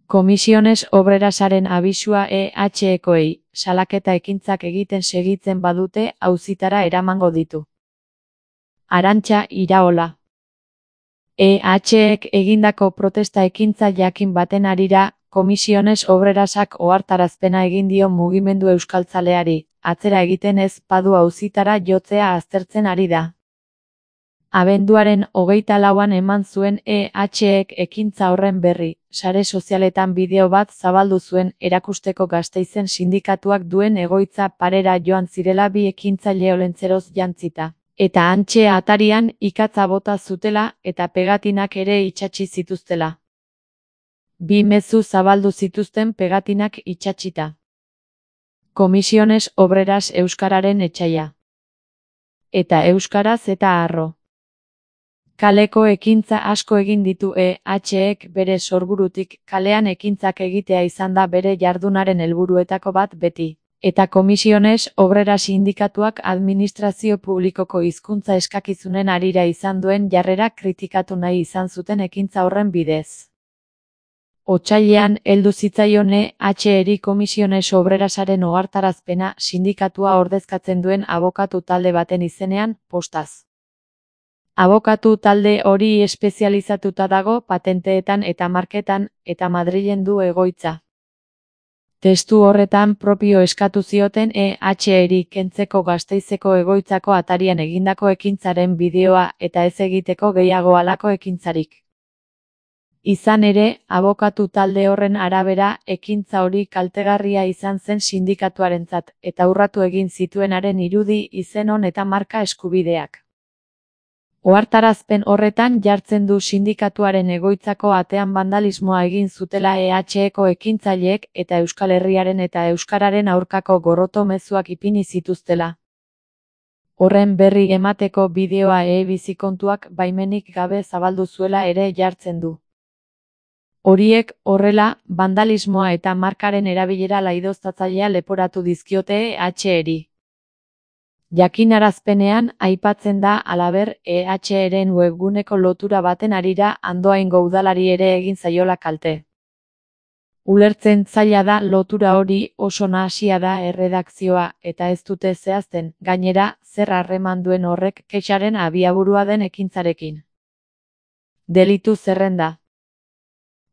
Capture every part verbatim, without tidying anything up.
Comisiones Obrerasaren abisua E H Ekoei, salaketa ekintzak egiten segitzen badute auzitara eramango ditu. Arantxa Iraola. E H Ek egindako protesta ekintza jakin baten harira, Comisiones Obrerasak ohartarazpena egin dio mugimendu euskaltzaleari, atzera egiten ez badu auzitara jotzea aztertzen ari da. Abenduaren hogeita lauan eman zuen E H Ek ekintza horren berri, sare sozialetan bideo bat zabaldu zuen erakusteko Gasteizen sindikatuak duen egoitza parera joan zirela bi ekintzaile olentzeroz jantzita, eta hantxe atarian ikatza bota zutela eta pegatinak ere itsatsi zituztela. Bi mezu zabaldu zituzten pegatinak itsatsita. Comisiones Obreras euskararen etsaia. Eta euskaraz eta harro. Kaleko ekintza asko egin ditu E H Ek bere sorburutik, kalean ekintzak egitea izan da bere jardunaren helburuetako bat beti. Eta Comisiones Obreras sindikatuak administrazio publikoko hizkuntza eskakizunen harira izan duen jarrera kritikatu nahi izan zuten ekintza horren bidez. Otsailean heldu zitzaion E H Eri Comisiones Obrerasaren ohartarazpena sindikatua ordezkatzen duen abokatu talde baten izenean, postaz. Abokatu talde hori espezializatuta dago patenteetan eta marketan, eta Madrilen du egoitza. Testu horretan propio eskatu zioten E H Eri kentzeko Gasteizeko egoitzako atarian egindako ekintzaren bideoa eta ez egiteko gehiago halako ekintzarik. Izan ere, abokatu talde horren arabera, ekintza hori kaltegarria izan zen sindikatuarentzat, eta urratu egin zituenaren irudi, izenon eta marka eskubideak. Ohartarazpen horretan jartzen du sindikatuaren egoitzako atean bandalismoa egin zutela E H Eko ekintzaileek eta Euskal Herriaren eta euskararen aurkako gorroto mezuak ipini zituztela. Horren berri emateko bideoa e-bizikontuak baimenik gabe zabaldu zuela ere jartzen du. Horiek, horrela, bandalismoa eta markaren erabilera laidoztatzailea leporatu dizkiote E H Eri. Jakinarazpenean aipatzen da halaber E H Eren webguneko lotura baten harira Andoaingo udalari ere egin zaiola kalte. Ulertzen zaila da lotura hori oso nahasia da erredakzioa eta ez dute zehazten, gainera, zer harreman duen horrek kexaren abiaburua den ekintzarekin. Delitu zerrenda.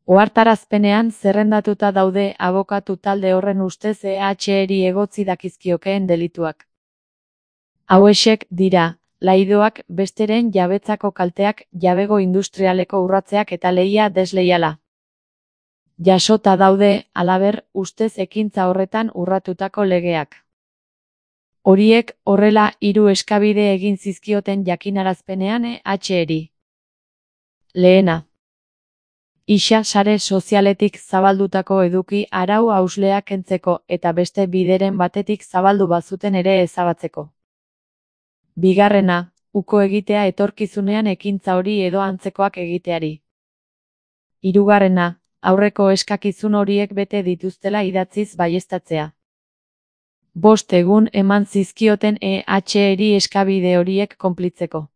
Ohartarazpenean zerrendatuta daude abokatu talde horren ustez E H Eri egotzi dakizkiokeen delituak. Hauexek dira, laidoak, besteren jabetzako kalteak, jabego industrialeko urratzeak eta lehia desleiala. Jasota daude, halaber, ustez ekintza horretan urratutako legeak. Horiek, horrela, hiru eskabide egin zizkioten jakinarazpenean E H Eri. Lehena. Isa sare sozialetik zabaldutako eduki arau hauslea kentzeko eta beste bideren batetik zabaldu bazuten ere ezabatzeko. Bigarrena, uko egitea etorkizunean ekintza hori edo antzekoak egiteari. Hirugarrena, aurreko eskakizun horiek bete dituztela idatziz baieztatzea. Bost egun eman zizkioten E H Eri eskabide horiek konplitzeko.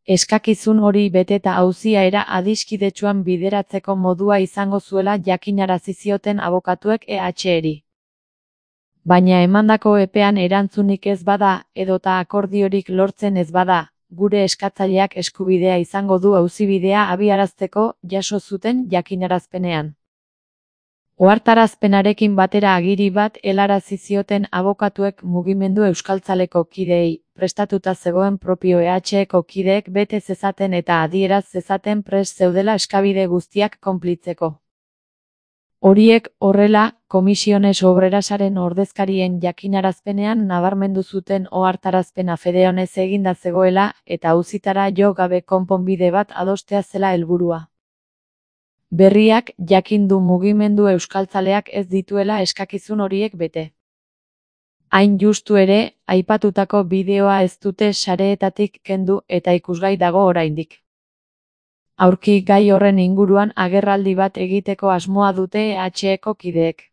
Eskakizun hori beteta auzia era adiskidetsuan bideratzeko modua izango zuela jakinarazi zioten abokatuek E H Eri. Baina emandako epean erantzunik ez bada, edota akordiorik lortzen ez bada, gure eskatzaileak eskubidea izango du auzibidea abiarazteko jaso zuten jakinarazpenean. Ohartarazpenarekin batera agiri bat helarazi zioten abokatuek mugimendu euskaltzaleko kideei, prestatuta zegoen propio E H Eko kideek bete zezaten eta adieraz zezaten prest zeudela eskabide guztiak konplitzeko. Horiek, horrela, Comisiones Obrerasaren ordezkarien jakinarazpenean nabarmendu zuten ohartarazpena fede honez eginda zegoela eta auzitara jo gabe konponbide bat adostea zela helburua. Berriak jakin du mugimendu euskaltzaleak ez dituela eskakizun horiek bete. Hain justu ere, aipatutako bideoa ez dute sareetatik kendu eta ikusgai dago oraindik. Aurki gai horren inguruan agerraldi bat egiteko asmoa dute E H Eko kideek.